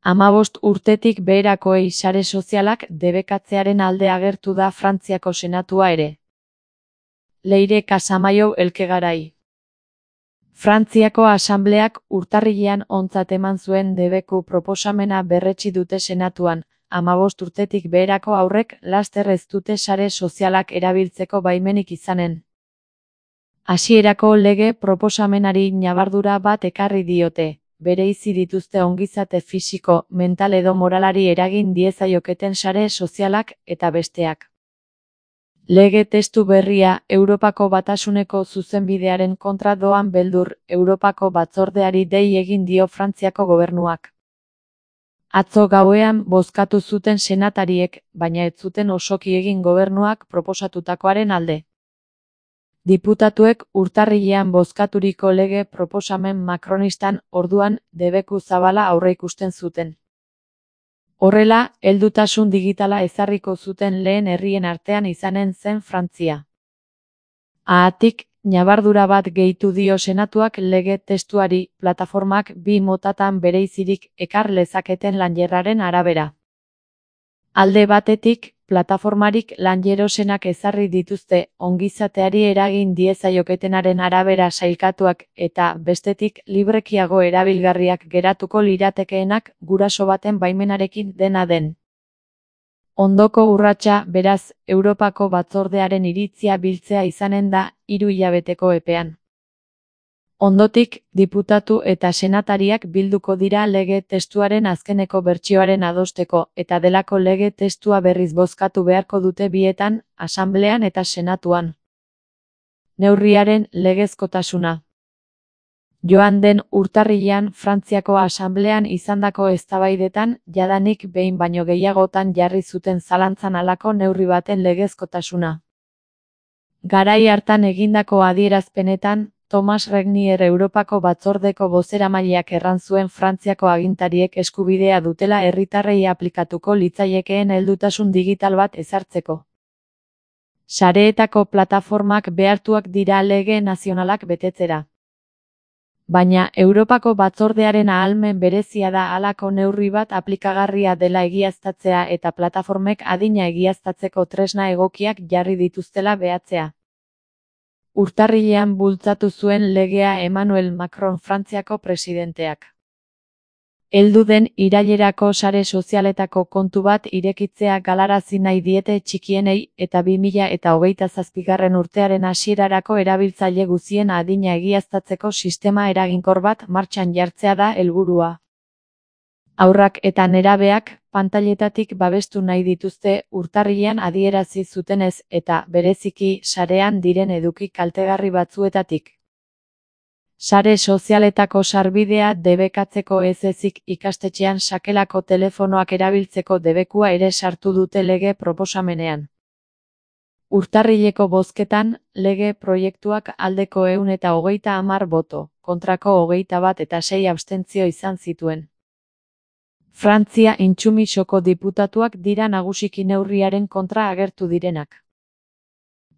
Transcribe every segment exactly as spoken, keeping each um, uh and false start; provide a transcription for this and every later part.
Hamabost urtetik beherakoei sare sozialak debekatzearen alde agertu da Frantziako Senatua ere. Leire Casamaiu Elkegarai. Frantziako Asambleak urtarrilean ontzat eman zuen debeku proposamena berretsi dute Senatuan, hamabost urtetik beherako haurrek laster ez dute sare sozialak erabiltzeko baimenik izanen. Hasierako lege proposamenari ñabardura bat ekarri diote, bereizi dituzte ongizate fisiko, mental edo moralari eragin diezaioketen sare sozialak eta besteak. Lege testu berria, Europako Batasuneko zuzenbidearen kontra doan beldur, Europako Batzordeari dei egin dio Frantziako gobernuak. Atzo gauean bozkatu zuten senatariek, baina ez zuten osoki egin gobernuak proposatutakoaren alde. Diputatuek urtarrilean bozkaturiko lege proposamen makronistan orduan debeku zabala aurreikusten zuten. Horrela, heldutasun digitala ezarriko zuten lehen herrien artean izanen zen Frantzia. Haatik, ñabardura bat gehitu dio Senatuak lege testuari, plataformak bi motatan bereizirik ekar lezaketen lanjerraren arabera. Alde batetik, plataformarik lanjerosenak ezarri dituzte ongizateari eragin diezaioketenaren arabera sailkatuak eta, bestetik, librekiago erabilgarriak geratuko liratekeenak guraso baten baimenarekin dena den. Ondoko urratsa, beraz, Europako Batzordearen iritzia biltzea izanen da hiru hilabeteko epean. Ondotik, diputatu eta senatariak bilduko dira lege testuaren azkeneko bertsioaren adosteko eta delako lege testua berriz bozkatu beharko dute bietan, Asamblean eta Senatuan. Neurriaren legezkotasuna. Joan den urtarrilean Frantziako Asamblean izandako eztabaidetan jadanik behin baino gehiagotan jarri zuten zalantzan halako neurri baten legezkotasuna. Garai hartan egindako adierazpenetan, Thomas Regnier Europako Batzordeko bozeramaileak erran zuen Frantziako agintariek eskubidea dutela herritarrei aplikatuko litzaiekeen heldutasun digital bat ezartzeko. Sareetako plataformak behartuak dira lege nazionalak betetzera. Baina Europako Batzordearen ahalmen berezia da halako neurri bat aplikagarria dela egiaztatzea eta plataformek adina egiaztatzeko tresna egokiak jarri dituztela behatzea. Urtarrilean bultzatu zuen legea Emmanuel Macron Frantziako presidenteak. Heldu den irailerako sare sozialetako kontu bat irekitzea galarazi nahi diete txikienei eta bi mila hogeita zazpigarren urtearen hasierarako erabiltzaile guztien adina egiaztatzeko sistema eraginkor bat martxan jartzea da helburua. Haurrak eta nerabeak pantailetatik babestu nahi dituzte urtarrilean adierazi zutenez eta bereziki sarean diren eduki kaltegarri batzuetatik. Sare sozialetako sarbidea debekatzeko ez ezik ikastetxean sakelako telefonoak erabiltzeko debekua ere sartu dute lege proposamenean. Urtarrileko bozketan, lege proiektuak aldeko ehun eta hogeita hamar boto, kontrako hogeita bat eta sei abstentzio izan zituen. Frantzia intsumisoko diputatuak dira nagusiki neurriaren kontra agertu direnak.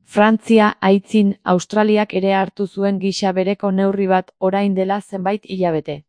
Frantzia aitzin Australiak ere hartu zuen gisa bereko neurri bat orain dela zenbait hilabete.